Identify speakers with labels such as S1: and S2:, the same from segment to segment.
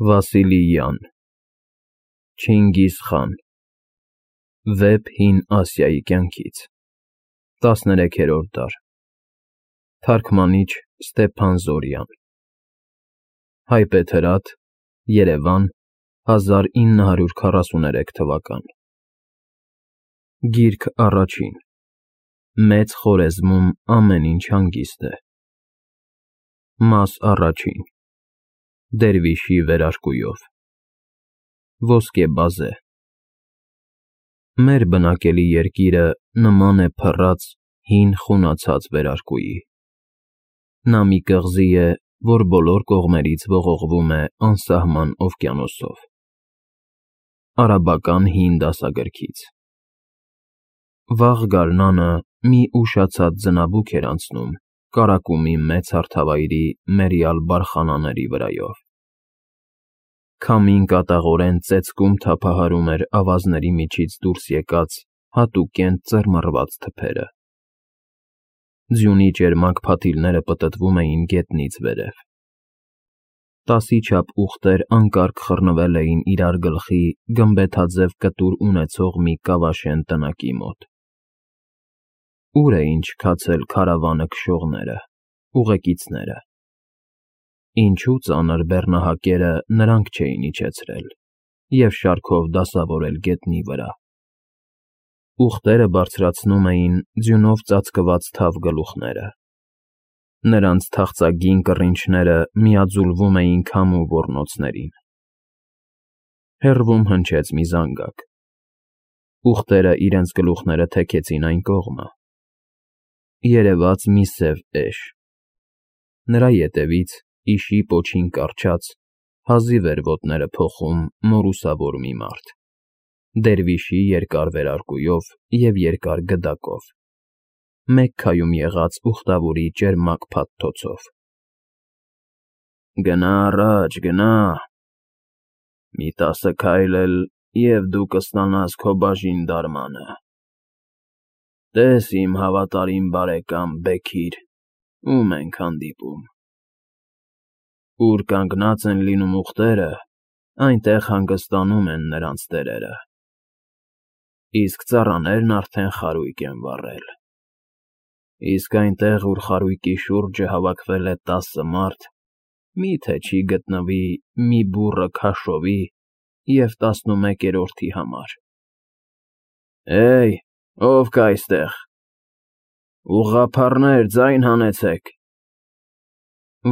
S1: Վասիլիյան Չինգիզ խան Վեպ Հին Ասիայի կյանքից 13-րդ դար Թարգմանիչ Ստեփան Զորյան Հայբեթրատ Երևան 1943 թվական Գիրք առաջին Մեծ Խորեզմում ամեն ինչ հանգիստ է Մաս առաջին Դերվիշի վերարկուով Ոսկե բազե Մեր բնակելի երկիրը նման է փռած, հին խունացած վերարկուի Նա մի կղզի է, որ բոլոր կողմերից ողողվում է անսահման օվկիանոսով Արաբական հին դասագրքից Վաղ գարնանը մի ուշացած ձնաբուք էր անցնում Կարակումի մեծ հարթավայրի մերյալ բարխանաների վրայով Քամին կատաղորեն ծեծկում թափահարում էր ավազների միջից դուրս եկած հատուկենտ ծռմռված թփերը Ձյունի ճերմակ փաթիլները պտտվում էին գետնից վերև Տասի չափ ուղտեր անկարգ խռնվել էին իրար գլխի գմբեթաձև կտուր ունեցող մի կավաշեն տնակի մոտ Ուր էին չքացել քարավանը քշողները, ուղեկիցները Ինչու ծանր բեռնահակերը նրանք չէին իջեցրել և շարքով դասավորել գետնի վրա Ուղտերը բարձրացնում էին ձյունով ծածկված թավ գլուխները Նրանց թախծագին կռինչները միաձուլվում էին քամու ոռնոցներին Հեռվում հնչեց մի զանգակ Ուղտերը իրենց գլուխները թեքեցին այն կողմը Երևաց մի սև էշ Նրա ետևից, իշի պոչին կառչած, հազիվ էր ոտները փոխում մորուսավոր մի մարդ Դերվիշի երկար վերարկուով և երկար գդակով Մեկ քայում եղած ուխտավորի ճերմակ փաթթոցով Գնա առաջ, գնա Մի 10 քայլ էլ և դու կստանաս քո բաժին դարմանը Տես իմ հավատարիմ բարեկամ Բեքիր, ում ենք հանդիպում Ուր կանգնած են լինում ուղտերը, այնտեղ հանգստանում են նրանց տերերը Իսկ ծառաներն արդեն խարույկ են վառել Իսկ այնտեղ, ուր խարույկի շուրջը հավաքվել է 10 մարդ, մի՞թե չի գտնվի մի բուռը քաշովի և 11-րդի համար Հեյ, ով կա այստեղ, ուղղափառներ, ձայն հանեցեք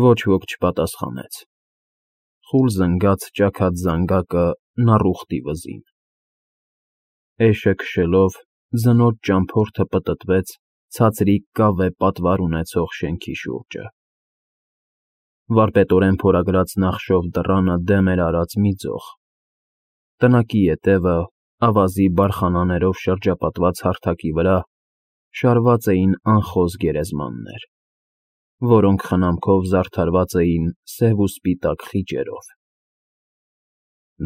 S1: Ոչ ոք չպատասխանեց Խուլ զնգաց ճաքած զանգակը նառուխտի վզին Էշը քշելով ձնորոշ ճամփորդը պտտվեց ցածրիկ կավե պատվար ունեցող շենքի շուրջը Վարպետորեն փորագրած նախշով դռանը դեմ էր արած մի ձող Տնակի ետևը, ավազի բարխանաներով շրջապատված հարթակի վրա շարված էին անխոզ գերեզմաններ, որոնք խնամքով զարդարված էին սև ու սպիտակ խիճերով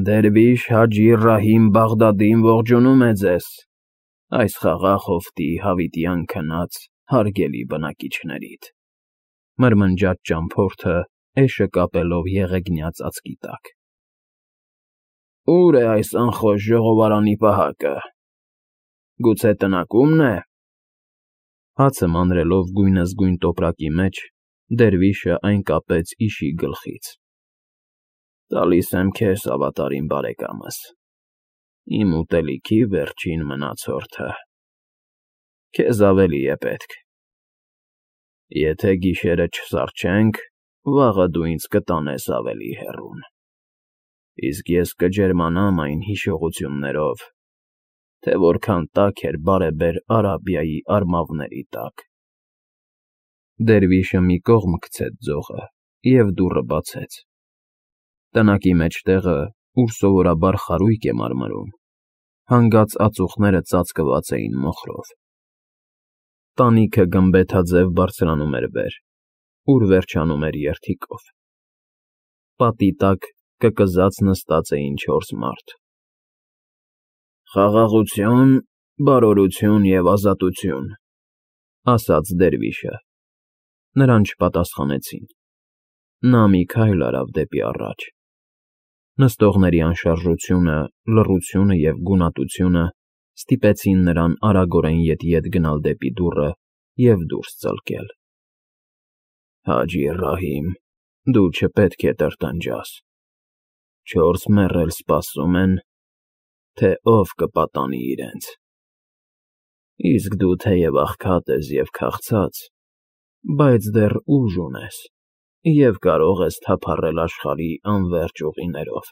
S1: Դերվիշ Հաջի Ռահիմ Բաղդադին ողջունում է ձեզ, այս խաղաղ հովտի հավիտյան քնած հարգելի բնակիչներիդ, մրմնջաց ճամփորդը էշը կապելով եղեգնյա ծածկի տակ Ո՞ւր է այս անխոժ ժողովարանի պահակը, գուցե տնակումն է Հացը մանրելով գույնզգույն տոպրակի մեջ, դերվիշը այն կապեց իշի գլխից Տալիս եմ քեզ, ավատարիմ բարեկամս, իմ ուտելիքի վերջին մնացորդը, քեզ ավելի է պետք Եթե գիշերը չսառչենք, վաղը դու ինձ կտանես ավելի հեռուն Իսկ ես կջերմանամ այն հիշողություններով, թե որքան տաք էր բարեբեր Արաբիայի արմավների տակ Դերվիշը մի կողմ քցեց ձողը և դուռը բացեց Տնակի մեջտեղը, ուր սովորաբար խարույկ է մարմրում, հանգած ածուխները ծածկված էին մոխրով Տանիքը գմբեթաձև բարձրանում էր վեր, ուր վերջանում էր երդիկով Պատի տակ կկզած նստած էին 4 մարդ Խաղաղություն, բարօրություն և ազատություն, ասաց դերվիշը Նրան չպատասխանեցին Նա մի քայլ արավ դեպի առաջ Նստողների անշարժությունը, լռությունը և գունատությունը ստիպեցին նրան արագորեն ետ գնալ դեպի դուռը և դուրս ծլկել։ Հաջի Ռահիմ, դու չպետք է տրտնջաս։ 4 մեռել սպասում են, թե ով կպատանի իրենց։ Իսկ դու թեև աղքատ ես և քաղցած, բայց դեռ ուժ ունես և կարող ես թափառել աշխարհի անվերջ ուղիներով։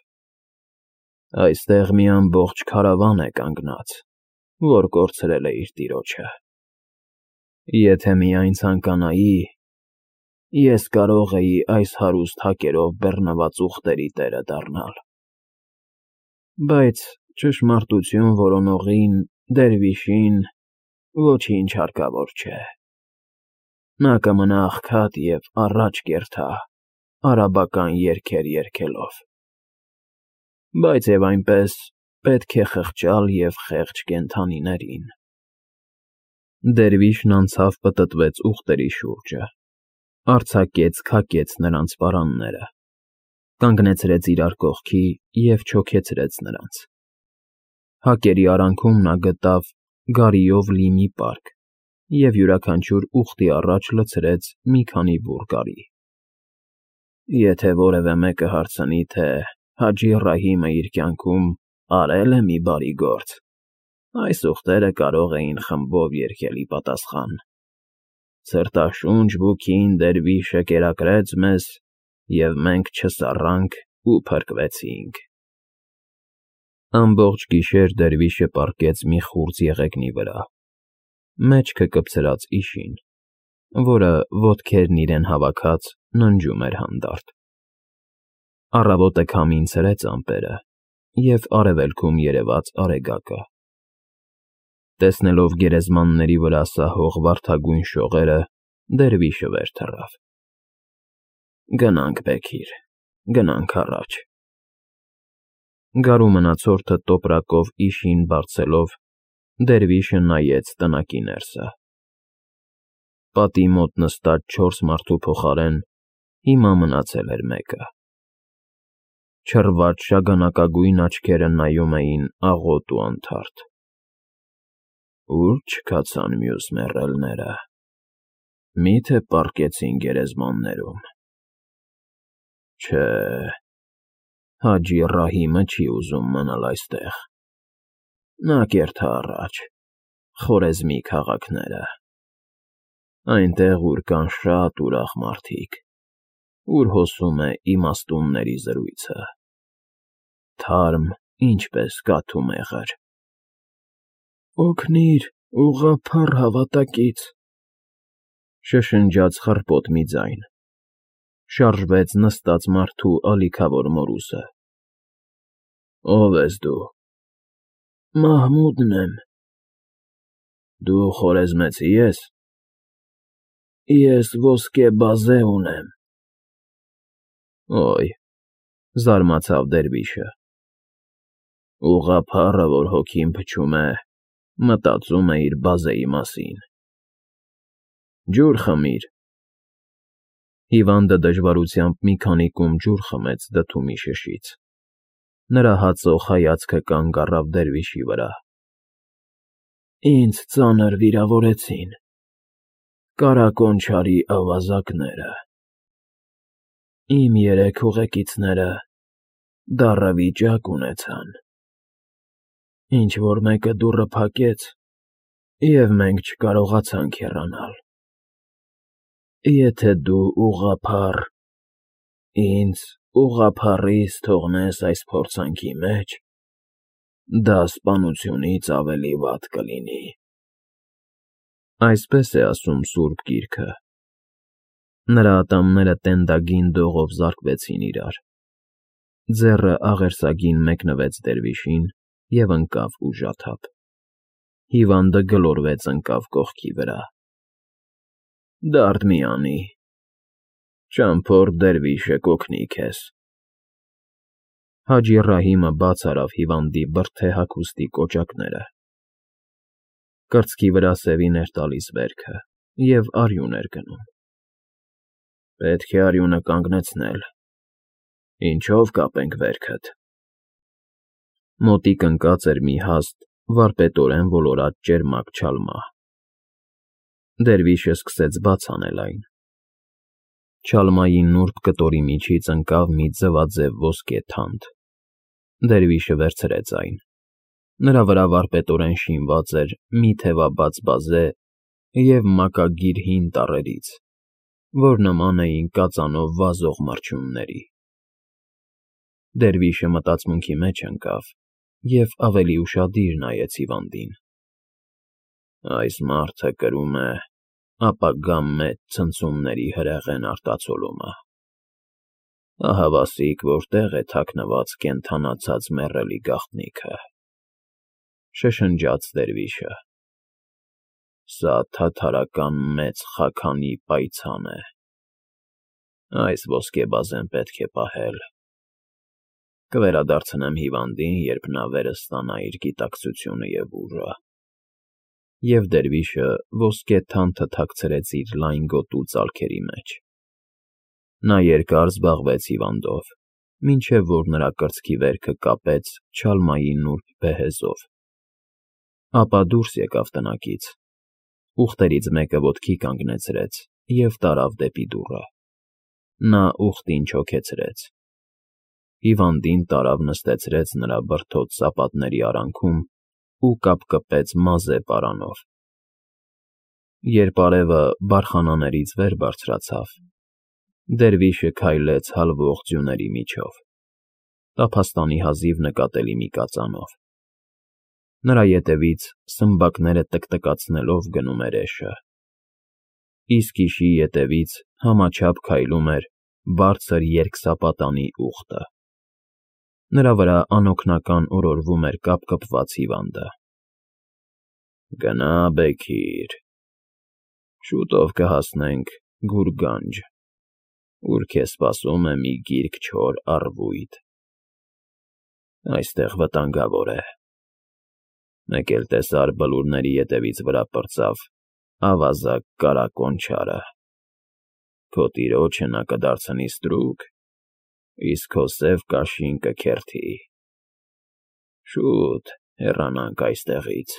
S1: Այստեղ մի ամբողջ քարավան է կանգնած, որ կորցրել է իր տիրոջը։ Եթե միայն ցանկանայի, ես կարող էի այս հարուստ հակերով բեռնված ուղտերի տերը դառնալ։ Բայց ճշմարտություն որոնողին, դերվիշին, ոչինչ հարկավոր չէ։ Նա կմնա աղքատ և առաջ կերթա, արաբական երգեր երգելով։ Բայց և այնպես պետք է խղճալ և խեղճ կենդանիներին։ Դերվիշն անցավ պտտվեց ուղտերի շուրջը, արձակեց նրանց պարանները, կանգնեցրեց իրար կողքի և չոքեցրեց նրանց։ Հակերի արանքում նա գտավ գարիով լի մի պարկ և յուրաքանչյուր ուղտի առաջ լցրեց մի քանի բուռ գարի։ Եթե որևէ մեկը հարցնի, թե Հաջի Ռահիմը իր կյանքում արե՞լ է մի բարի գործ, այս ուղտերը կարող էին խմբով երգել ի պատասխան. Ցրտաշունչ Բուքին դերվիշը կերակրեց մեզ, և մենք չսառանք ու փրկվեցինք։ Ամբողջ գիշեր դերվիշը պառկեց մի խուրձ եղեգնի վրա, մեջքը կպցրած իշին, որը, ոտքերն իրեն հավաքած, ննջում էր հանդարտ։ Առավոտը քամին ցրեց ամպերը և արևելքում երևաց արեգակը։ Տեսնելով գերեզմանների վրա սահող վարդագույն շողերը, դերվիշը վեր թռավ։ Գնանք, Բեգիր, գնանք առաջ։ Գարու մնացորդը տոպրակով իշին բարձելով, դերվիշը նայեց տնակի ներսը։ Պատի մոտ նստած 4 մարդու փոխարեն հիմա մնացել էր մեկը։ Չռված շագանակագույն աչքերը նայում էին աղոտ ու անթարթ։ Ո՞ւր չքացան մյուս մեռելները։ Մի՞թե պառկեցին գերեզմաններում։ Չէ, Հաջի Ռահիմը չի ուզում մնալ այստեղ։ Նա կերթա առաջ, Խորեզմի քաղաքները, այնտեղ, ուր կան շատ ուրախ մարդիկ, ուր հոսում է իմաստունների զրույցը, թարմ, ինչպես կաթու մեղր։ Օգնիր, ուղղափառ հավատակից, շշնջաց խռպոտ մի ձայն։ Շարժվեց նստած մարդու ալիքավոր մորուսը։ Ո՞վ ես դու։ Մահմուդն եմ։ Դու խորեզմեցի ես։ Ես ոսկե բազե ունեմ։ Օյ, զարմացավ դերվիշը։ Ուղղափառը, որ հոգին փչում է, մտածում է իր բազեի մասին։ Ջուր խմիր։ Հիվանդը դժվարությամբ մի քանի կում ջուր խմեց դդումի շշից։ Նրա հացող հայացքը կանգ առավ դերվիշի վրա։ Ինձ ծանր վիրավորեցին։ Կարակոն չարի ավազակները։ Իմ 3 ուղեկիցները դառը վիճակ ունեցան։ Ինչ֊որ մեկը դուռը փակեց, և մենք չկարողացանք հեռանալ։ Եթե դու ուղղափառ, ինձ ուղղափառիս թողնես այս փորձանքի մեջ, դա սպանությունից ավելի վատ կլինի։ Այսպես է ասում Սուրբ Գիրքը։ Նրա ատամները տենդագին դողով զարկվեցին իրար։ Ձեռը աղերսագին մեկնվեց դերվիշին և ընկավ ուժաթափ։ Հիվանդը գլորվեց ընկավ կողքի վրա։ Դարդ մի անի, ճամփորդ դերվիշը կօգնի քեզ։ Հաջի Ռահիմը բաց արավ հիվանդի բրդե հագուստի կոճակները։ Կրծքի վրա սևին էր տալիս վերքը և արյուն էր գնում։ Պետք է արյունը կանգնեցնել։ Ինչո՞վ կապենք վերքդ։ Մոտիկ ընկած էր մի հաստ, վարպետորեն ոլորած ճերմակ չալմա։ Դերվիշը սկսեց բաց անել այն։ Չալմայի նուրբ կտորի միջից ընկավ մի ձվաձև ոսկե թանդ։ Դերվիշը վերցրեց այն։ Նրա վրա վարպետորեն շինված էր մի թևաբաց բազե և մակագիր հին տառերից, որ նման էին կածանով վազող մրջյունների։ Դերվիշը մտածմունքի մեջ ընկավ և ավելի ուշադիր նայեց հիվանդին։ Այս մարդը կրում է ապագա մեծ ցնցումների հրեղեն արտացոլումը։ Ահավասիկ որտեղ է թաքնված կենդանացած մեռելի գաղտնիքը, շշնջաց դերվիշը։ Սա թաթարական մեծ խաքանի պայծան է։ Այս ոսկեբազեն պետք է պահել։ Կվերադարձնեմ հիվանդին, երբ նա վերստանա իր գիտակցությունը և ուժը։ Եվ դերվիշը ոսկե թանձը թաքցրեց իր լայն գոտու ծալքերի մեջ։ Նա երկար զբաղվեց հիվանդով, մինչև որ նրա կրծքի վերքը կապեց Չալմայի նուրբ բեհեզով։ Ապա դուրս եկավ տնակից, ուղտերից մեկը ոտքի կանգնեցրեց և տարավ դեպի դուռը։ Նա ուղտին չոքեցրեց։ Հիվանդին տարավ նստեցրեց նրա բրդոտ սապատների արանքում ու կապկպեց մազե պարանով։ Երբ արևը բարխանաներից վեր բարձրացավ, դերվիշը քայլեց հալվող ձյուների միջով, տափաստանի հազիվ նկատելի մի կածանով։ Նրա ետևից սմբակները տկտկացնելով գնում էր էշը։ Իսկ իշի ետևից համաչափ քայլում էր բարձր երկսապատանի ուղտը։ Նրա վրա անօգնական օրորվում էր կապկպված հիվանդը։ Գնա, Բեքիր, շուտով կհասնենք Գուրգանջ, ուր քեզ սպասում է մի գիրք չոր առվույտ։ Այստեղ վտանգավոր է։ Մեկ էլ տեսար բլուրների ետևից վրա պրծավ ավազակ կարակոն չարը։ Քո տիրոջը նա կդարձնի ստրուկ, իսկ քո սև կաշին կքերթի։ Շուտ հեռանանք այստեղից։